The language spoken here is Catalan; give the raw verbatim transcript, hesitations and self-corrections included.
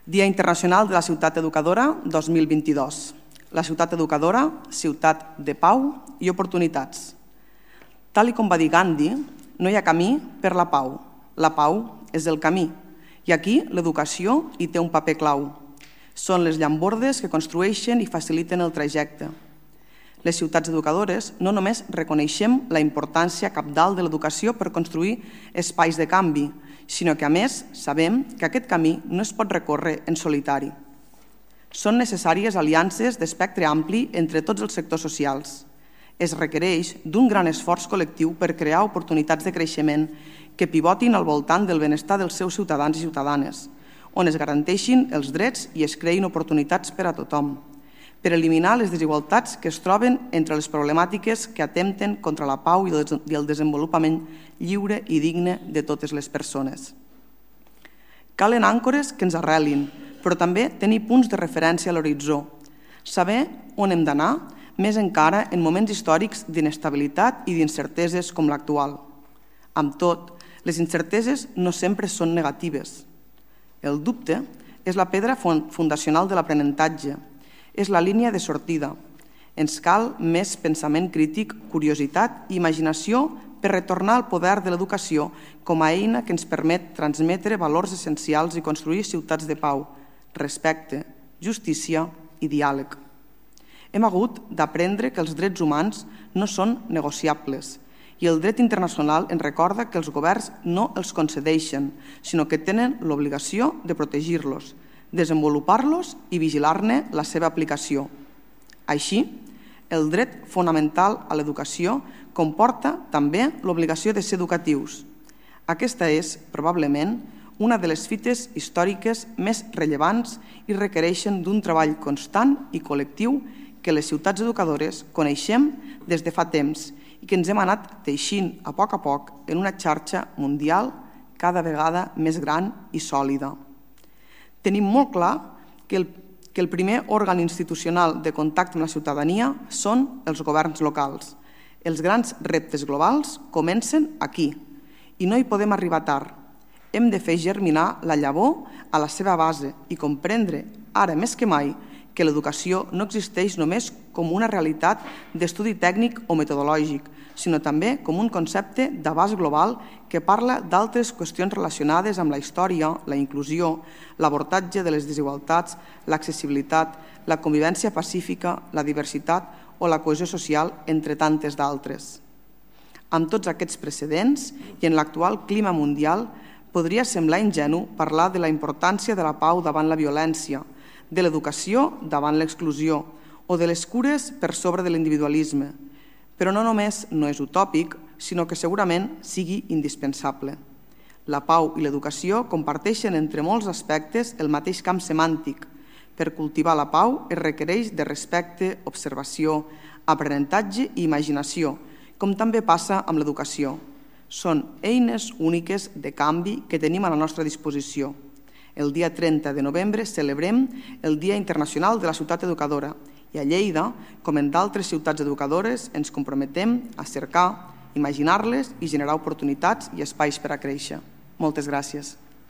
Dia Internacional de la Ciutat Educadora dos mil vint-i-dos. La ciutat educadora, ciutat de pau i oportunitats. Tal i com va dir Gandhi, no hi ha camí per la pau. La pau és el camí. I aquí l'educació hi té un paper clau. Són les llambordes que construeixen i faciliten el trajecte. Les ciutats educadores no només reconeixem la importància cabdal de l'educació per construir espais de canvi, sinó que, a més, sabem que aquest camí no es pot recórrer en solitari. Són necessàries aliances d'espectre ampli entre tots els sectors socials. Es requereix d'un gran esforç col·lectiu per crear oportunitats de creixement que pivotin al voltant del benestar dels seus ciutadans i ciutadanes, on es garanteixin els drets i es creïn oportunitats per a tothom, per eliminar les desigualtats que es troben entre les problemàtiques que atempten contra la pau i el desenvolupament lliure i digne de totes les persones. Calen àncores que ens arrelin, però també tenir punts de referència a l'horitzó, saber on hem d'anar, més encara en moments històrics d'inestabilitat i d'incerteses com l'actual. Amb tot, les incerteses no sempre són negatives. El dubte és la pedra fundacional de l'aprenentatge, és la línia de sortida. Ens cal més pensament crític, curiositat i imaginació per retornar al poder de l'educació com a eina que ens permet transmetre valors essencials i construir ciutats de pau, respecte, justícia i diàleg. Hem hagut d'aprendre que els drets humans no són negociables i el dret internacional ens recorda que els governs no els concedeixen, sinó que tenen l'obligació de protegir-los, desenvolupar-los i vigilar-ne la seva aplicació. Així, el dret fonamental a l'educació comporta també l'obligació de ser educatius. Aquesta és, probablement, una de les fites històriques més rellevants i requereixen d'un treball constant i col·lectiu que les ciutats educadores coneixem des de fa temps i que ens hem anat teixint a poc a poc en una xarxa mundial cada vegada més gran i sòlida. Tenim molt clar que el, que el primer òrgan institucional de contacte amb la ciutadania són els governs locals. Els grans reptes globals comencen aquí i no hi podem arribar tard. Hem de fer germinar la llavor a la seva base i comprendre, ara més que mai, que l'educació no existeix només com una realitat d'estudi tècnic o metodològic, sinó també com un concepte d'abast global que parla d'altres qüestions relacionades amb la història, la inclusió, l'abordatge de les desigualtats, l'accessibilitat, la convivència pacífica, la diversitat o la cohesió social, entre tantes d'altres. Amb tots aquests precedents i en l'actual clima mundial, podria semblar ingenu parlar de la importància de la pau davant la violència, de l'educació davant l'exclusió o de les cures per sobre de l'individualisme. Però no només no és utòpic, sinó que segurament sigui indispensable. La pau i l'educació comparteixen entre molts aspectes el mateix camp semàntic. Per cultivar la pau es requereix de respecte, observació, aprenentatge i imaginació, com també passa amb l'educació. Són eines úniques de canvi que tenim a la nostra disposició. El dia trenta de novembre celebrem el Dia Internacional de la Ciutat Educadora i a Lleida, com en d'altres ciutats educadores, ens comprometem a cercar, imaginar-les i generar oportunitats i espais per a créixer. Moltes gràcies.